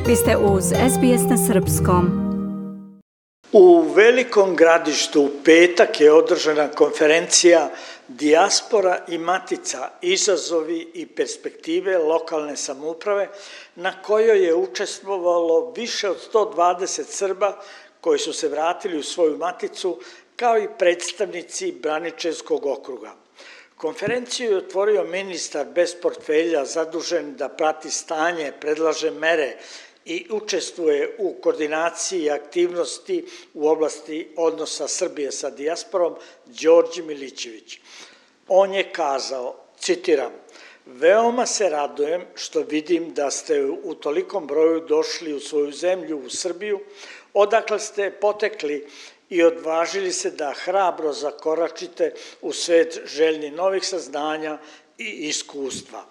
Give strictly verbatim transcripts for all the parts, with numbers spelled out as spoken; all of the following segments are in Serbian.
Vi ste uz es be es na srpskom. U Velikom Gradištu u petak je održana konferencija Dijaspora i matica, izazovi i perspektive lokalne samouprave, na kojoj je učestvovalo više od sto dvadeset Srba koji su se vratili u svoju maticu, kao i predstavnici Braničevskog okruga. Konferenciju je otvorio ministar bez portfelja zadužen da prati stanje, predlaže mere i učestvuje u koordinaciji aktivnosti u oblasti odnosa Srbije sa dijasporom, Đorđe Milićević. On je kazao, citiram, veoma se radujem što vidim da ste u tolikom broju došli u svoju zemlju, u Srbiju, odakle ste potekli i odvažili se da hrabro zakoračite u svet željni novih saznanja i iskustva.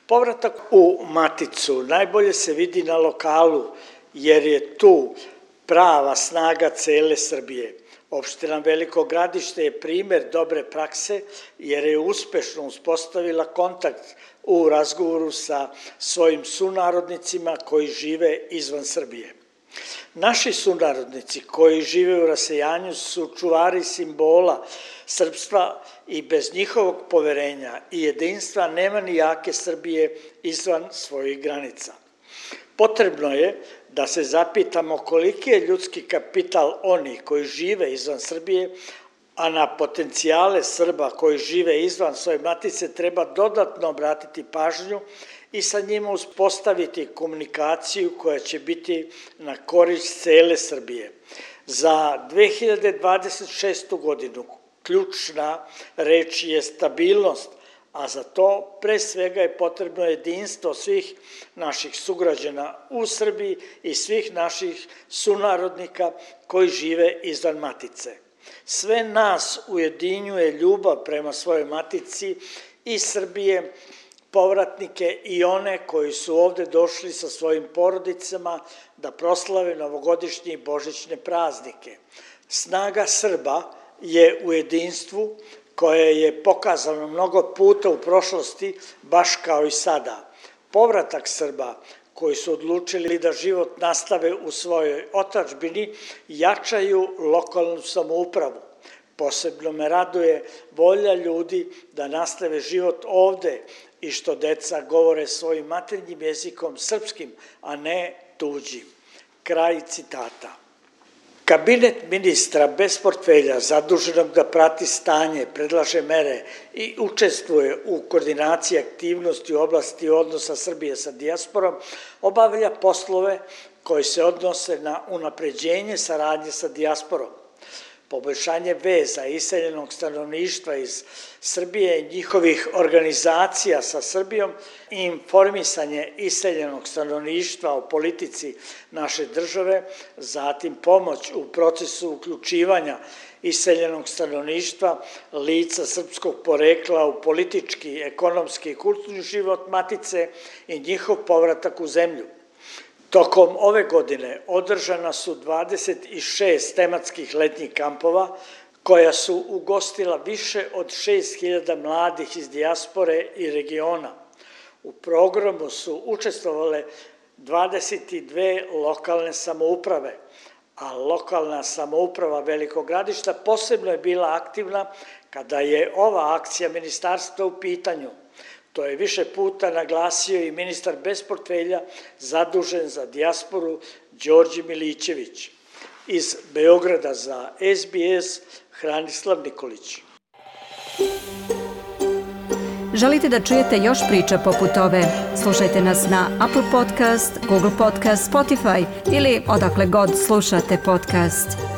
Povratak u maticu najbolje se vidi na lokalu, jer je tu prava snaga cele Srbije. Opština Veliko Gradište je primer dobre prakse, jer je uspešno uspostavila kontakt u razgovoru sa svojim sunarodnicima koji žive izvan Srbije. Naši sunarodnici koji žive u rasejanju su čuvari simbola srpstva i bez njihovog poverenja i jedinstva nema ni jake Srbije izvan svojih granica. Potrebno je da se zapitamo koliki je ljudski kapital onih koji žive izvan Srbije, a na potencijale Srba koji žive izvan svoje matice treba dodatno obratiti pažnju i sa njima uspostaviti komunikaciju koja će biti na korist cele Srbije. Za dve hiljade dvadeset šestu godinu ključna reč je stabilnost, a za to pre svega je potrebno jedinstvo svih naših sugrađana u Srbiji i svih naših sunarodnika koji žive izvan matice. Sve nas ujedinjuje ljubav prema svojoj matici i Srbije, povratnike i one koji su ovde došli sa svojim porodicama da proslave novogodišnje i božićne praznike. Snaga Srba je u jedinstvu koje je pokazano mnogo puta u prošlosti, baš kao i sada. Povratak Srba koji su odlučili da život nastave u svojoj otadžbini jačaju lokalnu samoupravu. Posebno me raduje volja ljudi da nastave život ovde i što deca govore svojim maternjim jezikom srpskim, a ne tuđim. Kraj citata. Kabinet ministra bez portfelja zaduženog da prati stanje, predlaže mere i učestvuje u koordinaciji aktivnosti u oblasti odnosa Srbije sa dijasporom, obavlja poslove koji se odnose na unapređenje saradnje sa dijasporom, poboljšanje veza iseljenog stanovništva iz Srbije i njihovih organizacija sa Srbijom i informisanje iseljenog stanovništva o politici naše države, zatim pomoć u procesu uključivanja iseljenog stanovništva, lica srpskog porekla u politički, ekonomski i kulturni život matice i njihov povratak u zemlju. Tokom ove godine održana su dvadeset šest tematskih letnjih kampova koja su ugostila više od šest hiljada mladih iz dijaspore i regiona. U programu su učestvovale dvadeset dve lokalne samouprave, a lokalna samouprava Velikog Gradišta posebno je bila aktivna kada je ova akcija ministarstva u pitanju. To je više puta naglasio i ministar bez portfelja zadužen za dijasporu Đorđe Milićević. Iz Beograda za es be es Hranislav Nikolić. Želite da čujete još priča poput ove? Slušajte nas na Apple Podcast, Google Podcast, Spotify ili odakle god slušate podcast.